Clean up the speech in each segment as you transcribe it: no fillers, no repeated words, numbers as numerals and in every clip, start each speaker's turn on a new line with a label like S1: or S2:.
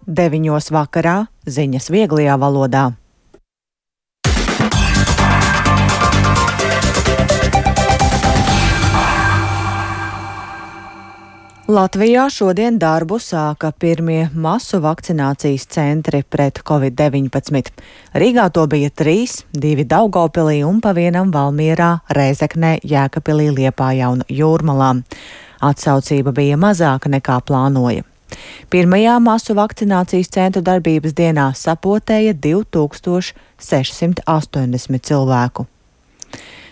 S1: 9 vakarā ziņas vieglajā valodā. Latvijā šodien darbu sāka pirmie masu vakcinācijas centri pret Covid-19. Rīgā to bija 3, 2 Daugavpilī un pa vienam Valmierā, Rēzeknē, Jēkabpilī, Liepājā un Jūrmalā. Atsaucība bija mazāka nekā plānoja. Pirmajā masu vakcinācijas centru darbības dienā sapotēja 2680 cilvēku.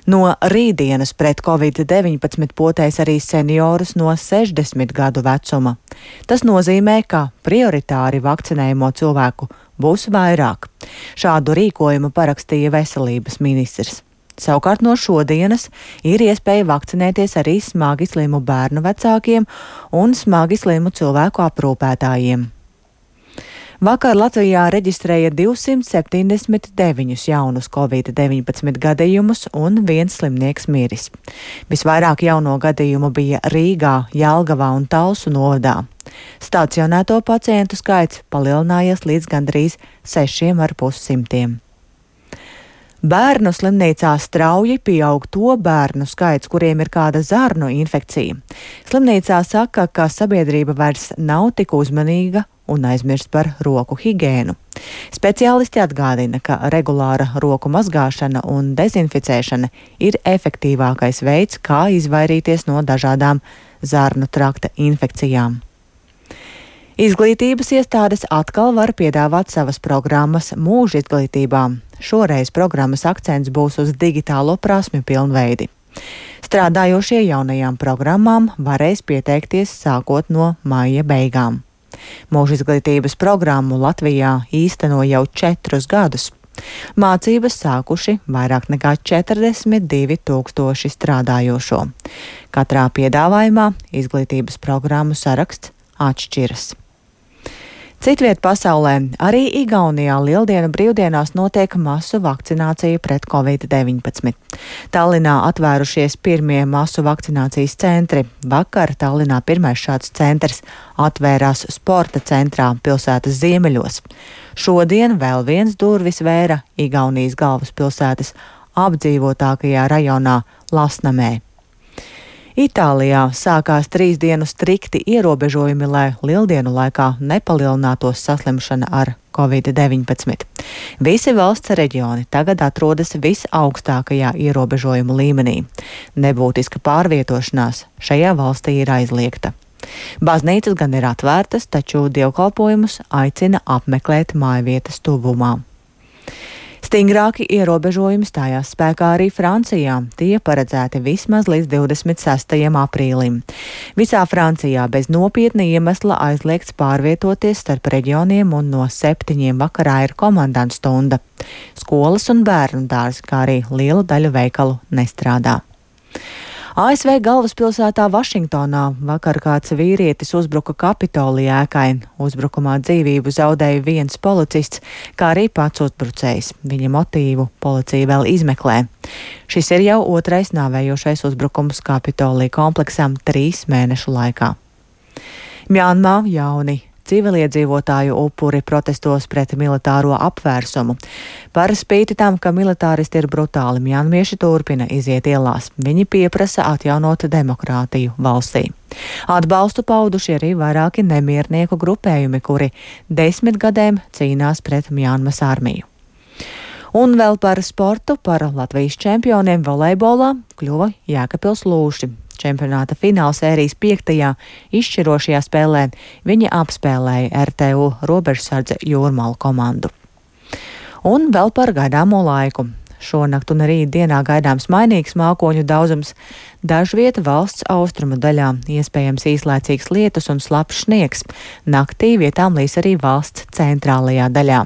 S1: No rītdienas pret Covid-19 potēs arī seniorus no 60 gadu vecuma. Tas nozīmē, ka prioritāri vakcinējumo cilvēku būs vairāk. Šādu rīkojumu parakstīja veselības ministrs. Savukārt no šodienas ir iespēja vakcinēties arī smagi slimu bērnu vecākiem un smagi slimu cilvēku aprūpētājiem. Vakar Latvijā reģistrēja 279 jaunus Covid-19 gadījumus un 1 slimnieks miris. Visvairāk jauno gadījumu bija Rīgā, Jelgavā un Talsu novadā. Stacionēto pacientu skaits palielinājies līdz gandrīz 6,5. Bērnu slimnīcā strauji pieaug to bērnu skaits, kuriem ir kāda zarnu infekcija. Slimnīcā saka, ka sabiedrība vairs nav tik uzmanīga un aizmirst par roku higēnu. Speciālisti atgādina, ka regulāra roku mazgāšana un dezinficēšana ir efektīvākais veids, kā izvairīties no dažādām zarnu trakta infekcijām. Izglītības iestādes atkal var piedāvāt savas programmas mūža izglītībā. Šoreiz programmas akcents būs uz digitālo prasmju pilnveidi. Strādājošie jaunajām programmām varēs pieteikties sākot no maija beigām. Mūža izglītības programmu Latvijā īsteno jau 4 gadus. Mācības sākuši vairāk nekā 42 000 strādājošo. Katrā piedāvājumā izglītības programmu saraksts atšķiras. Citviet pasaulē, arī Igaunijā Lieldienu brīvdienās notiek masu vakcinācija pret Covid-19. Tallinā atvērušies pirmie masu vakcinācijas centri. Vakar Tallinā pirmais šāds centrs atvērās sporta centrā pilsētas ziemeļos. Šodien vēl viens durvis vēra Igaunijas galvaspilsētas apdzīvotākajā rajonā Lasnamē. Itālijā sākās 3 dienu strikti ierobežojumi, lai Lieldienu laikā nepalielinātos saslimšana ar Covid-19. Visi valsts reģioni tagad atrodas visaugstākajā ierobežojumu līmenī. Nebūtiska pārvietošanās šajā valstī ir aizliegta. Baznīcas gan ir atvērtas, taču dievkalpojumus aicina apmeklēt mājvietas tuvumā. Stingrāki ierobežojumi stājās spēkā arī Francijā. Tie paredzēti vismaz līdz 26. aprīlim. Visā Francijā bez nopietna iemesla aizliegts pārvietoties starp reģioniem un no 7 vakarā ir komandantu stunda. Skolas un bērnu dārzi, kā arī liela daļa veikalu nestrādā. ASV galvaspilsētā Vašingtonā vakar kāds vīrietis uzbruka Kapitolija ēkai. Uzbrukumā dzīvību zaudēja viens policists, kā arī pats uzbrucējs. Viņa motīvu policija vēl izmeklē. Šis ir jau 2. nāvējošais uzbrukums Kapitolija kompleksam 3 mēnešu laikā. Mjanmā jauni civiliedzīvotāju upuri protestos pret militāro apvērsumu. Par spīti tam, ka militāristi ir brutāli, mjanmieši turpina iziet ielās. Viņi pieprasa atjaunot demokrātiju valstī. Atbalstu pauduši arī vairāki nemiernieku grupējumi, kuri 10 gadiem cīnās pret Mjanmas armiju. Un vēl par sportu, par Latvijas čempioniem volejbolā kļuva Jēkabpils Lūši. Čempionāta finālsērijas 5. izšķirošajā spēlē viņi apspēlēja RTU robežsardze Jūrmalu komandu. Un vēl par gaidāmo laiku. Šonakt un rītdienā gaidāms mainīgs mākoņu daudzums. Dažviet valsts austrumu daļā iespējams īslaicīgs lietus un slapjš sniegs. Naktī vietām līs arī valsts centrālajā daļā.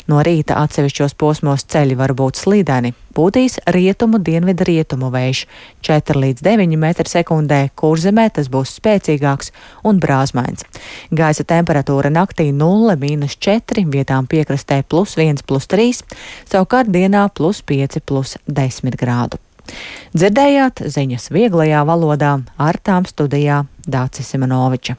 S1: No rīta atsevišķos posmos ceļi var būt slīdeni. Pūtīs rietumu dienvidu rietumu vējš 4 līdz 9 m/sekundē, Kurzemē tas būs spēcīgāks un brāzmains. Gaisa temperatūra naktī 0–4, vietām piekrastē +1–3, savukārt dienā +5–10 grādu. Dzirdējāt ziņas vieglajā valodā, ar tām studijā Dācis Simonoviča.